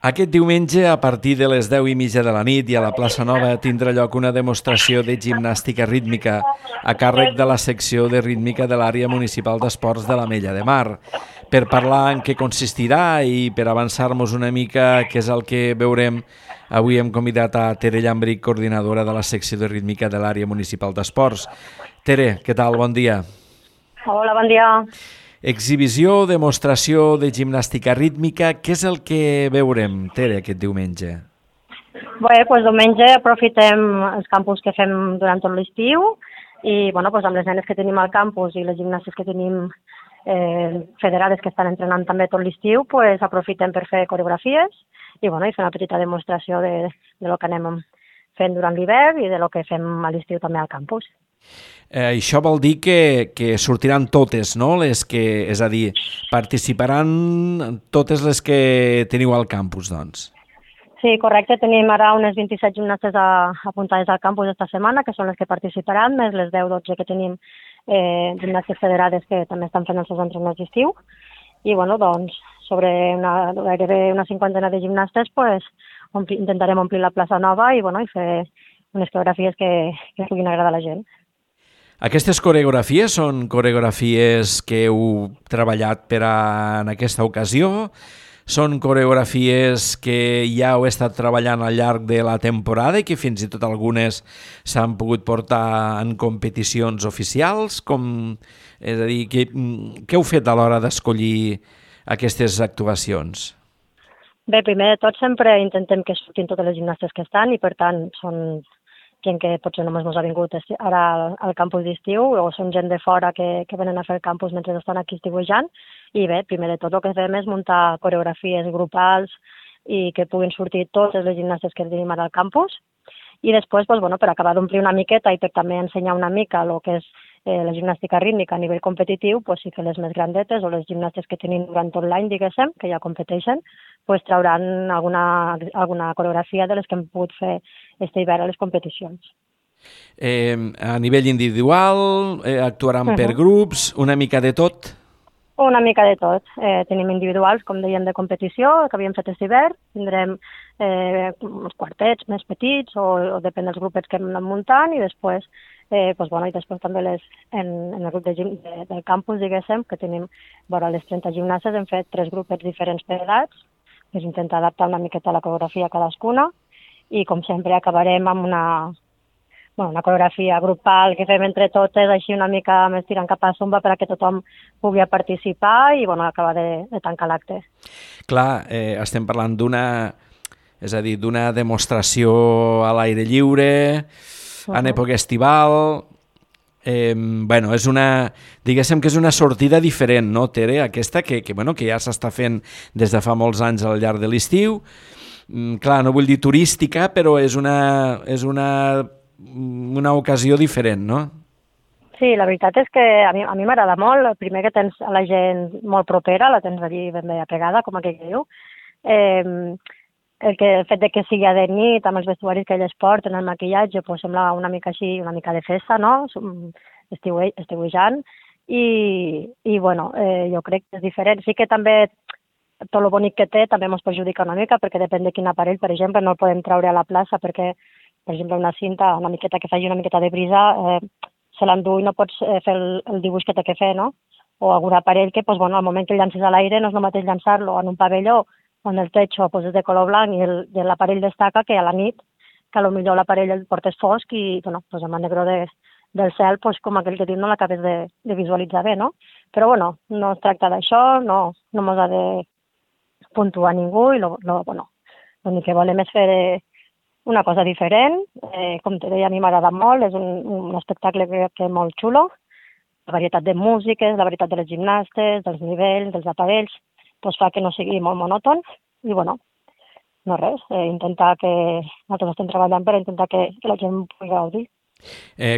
Aquest diumenge, a partir de les 10:30 de la nit i a la plaça Nova, tindrà lloc una demostració de gimnàstica rítmica a càrrec de la secció de rítmica de l'àrea municipal d'esports de l'Ametlla de Mar. Per parlar en què consistirà i per avançar-nos una mica què és el que veurem, avui hem convidat a Tere Llambric, coordinadora de la secció de rítmica de l'àrea municipal d'esports. Tere, què tal? Bon dia. Hola, bon dia. Exhibició, demostració de gimnàstica rítmica. Què és el que veurem, Tere, aquest diumenge? Bé, doncs diumenge aprofitem els campus que fem durant tot l'estiu i doncs amb les nenes que tenim al campus i les gimnàsties que tenim federades que estan entrenant també tot l'estiu, doncs aprofitem per fer coreografies i fer una petita demostració de lo que anem fent durant l'hivern i de lo que fem a l'estiu també al campus. Això vol dir que sortiran totes, no? És a dir, participaran totes les que teniu al campus, doncs. Sí, correcte. Tenim ara unes 27 gimnastes apuntades al campus esta setmana, que són les que participaran, més les 10-12 que tenim gimnàsties federades que també estan fent els seus entrenaments d'estiu. I, sobre gairebé una cinquantena de gimnastes, intentarem omplir la plaça Nova i fer unes coreografies que puguin agradar a la gent. Aquestes coreografies són coreografies que heu treballat en aquesta ocasió? Són coreografies que ja heu estat treballant al llarg de la temporada i que fins i tot algunes s'han pogut portar en competicions oficials? És a dir, què heu fet a l'hora d'escollir aquestes actuacions? Bé, primer de tot sempre intentem que surtin totes les gimnastes que estan i per tant són gent que potser només no ha vingut ara al campus d'estiu o són gent de fora que venen a fer el campus mentre estan aquí estiuejant. I bé, primer de tot el que fem és muntar coreografies grupals i que puguin sortir totes les gimnastes que tenim ara al campus. I després, per acabar d'omplir una miqueta i per també ensenyar una mica el que és la gimnàstica rítmica a nivell competitiu, sí que les més grandetes o les gimnastes que tenim durant tot l'any, diguéssim, que ja competeixen, trauran alguna coreografia de les que hem pogut fer este hivern a les competicions. A nivell individual, actuaran per grups, una mica de tot? Una mica de tot. Tenim individuals, com dèiem, de competició, que havíem fet aquest hivern. Tindrem uns quartets més petits o depèn dels grupets que hem anat muntant i després, i després també en el grup del campus, diguéssim, que tenim vora les 30 gimnàsties, hem fet 3 grupets diferents per edats, que és intentar adaptar una miqueta la coreografia a cadascuna i, com sempre, acabarem amb una coreografia grupal que fem entre totes, així una mica més tirant cap a zumba perquè tothom pugui participar i acabar de tancar l'acte. Clar, estem parlant d'una demostració a l'aire lliure, en època estival. Diguéssim que és una sortida diferent, no, Tere? Aquesta que ja s'està fent des de fa molts anys al llarg de l'estiu. Clar, no vull dir turística, però és una ocasió diferent, no? Sí, la veritat és que a mi m'agrada molt. El primer, que tens a la gent molt propera, la tens allí ben bé apegada, com aquell que diu. El fet de que sigui de nit, amb els vestuaris que elles porten, el maquillatge, sembla una mica així, una mica de festa, no? Estiuejant. Jo crec que és diferent. Sí que també tot el bonic que té també ens perjudica una mica, perquè depèn de quin aparell, per exemple, no el podem treure a la plaça perquè, per exemple, una cinta, una miqueta que faci una miqueta de brisa, se l'endú i no pots fer el dibuix que té que fer, no? O algun aparell que, al moment que el llances a l'aire no és el mateix llançar-lo en un pavelló on el techo és de color blanc i l'aparell destaca, que a la nit, que potser l'aparell el portes fosc i, amb el negre del cel, com aquell que diu, no l'acabes de visualitzar bé, no? Però, no es tracta d'això, no mos ha de puntuar ningú i l'únic que volem és fer una cosa diferent. Com te deia, a mi m'agrada molt, és un espectacle que és molt xulo. La varietat de músiques, la varietat de les gimnastes, dels nivells, dels aparells, fa que no sigui molt monòton i, no res, intentar que nosaltres estem treballant per intentar que la gent pugui gaudir.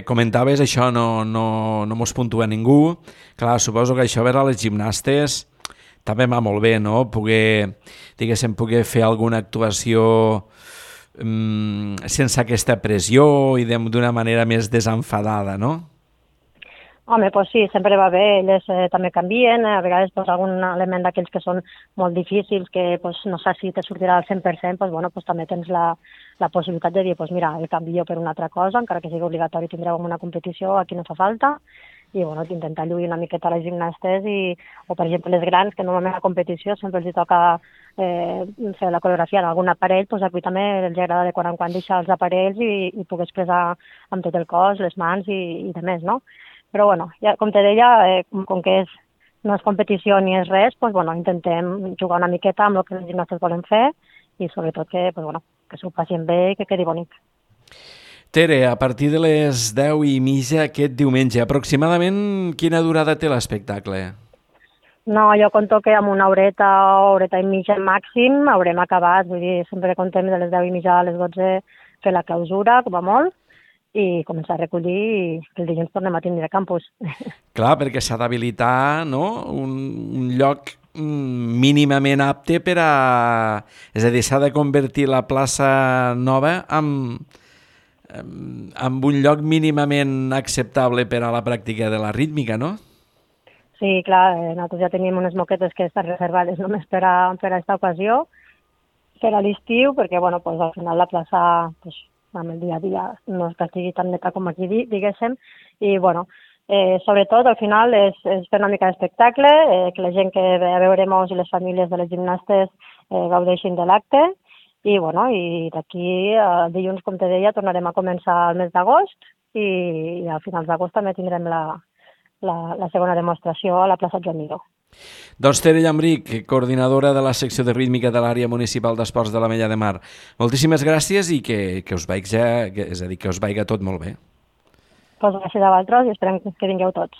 Comentaves això, no mos puntua ningú. Clar, suposo que això veure les gimnastes també va molt bé, no? Poder fer alguna actuació sense aquesta pressió i d'una manera més desenfadada, no? Home, doncs sí, sempre va bé, elles també canvien, a vegades pues, algun element d'aquells que són molt difícils, que pues, no saps si te sortirà al 100%, pues, bueno, pues, també tens la possibilitat de dir, pues, mira, el canvio per una altra cosa, encara que sigui obligatori tindreu una competició, aquí no fa falta, i bueno, intentar lluir una miqueta a les gimnastes, o per exemple les grans, que normalment a la competició sempre els toca fer la coreografia en algun aparell, doncs aquí també els agrada de quan en quan deixar els aparells i poder expressar amb tot el cos, les mans i de més, no? Però bueno, ja, com te deia, com que no és competició ni és res, doncs, bueno, intentem jugar una miqueta amb el que les gimnastes volen fer i sobretot que, doncs, bueno, que s'ho passin bé i que quedi bonic. Tere, a partir de les 10:30 aquest diumenge, aproximadament quina durada té l'espectacle? No, jo conto que amb una horeta i mitja màxim haurem acabat, vull dir, sempre contem de les 10:30 a les 12 fer la clausura, com a molt, i començar a recollir i el dilluns tornem a tindre campus. Clar, perquè s'ha d'habilitar, no?, un lloc mínimament apte per a... És a dir, s'ha de convertir la plaça nova en un lloc mínimament acceptable per a la pràctica de la rítmica, no? Sí, clar, nosaltres ja tenim unes moquetes que estan reservades només per a aquesta ocasió, per a l'estiu, perquè bueno, pues, al final la plaça pues, amb el dia a dia no és que estigui tan neta com aquí, diguéssim, i bueno, sobretot al final és fer una mica d'espectacle, que la gent que ve a veure-nos i les famílies de les gimnastes gaudeixin de l'acte, i bueno, i d'aquí dilluns, com te deia, tornarem a començar el mes d'agost i a finals d'agost també tindrem la segona demostració a la plaça Joan Miró. Doncs Tere Llambrich, coordinadora de la secció de rítmica de l'àrea municipal d'esports de l'Ametlla de Mar. Moltíssimes gràcies i que us vagi, és a dir, que us vagi tot molt bé. Doncs gràcies a vosaltres i esperem que vingueu tots.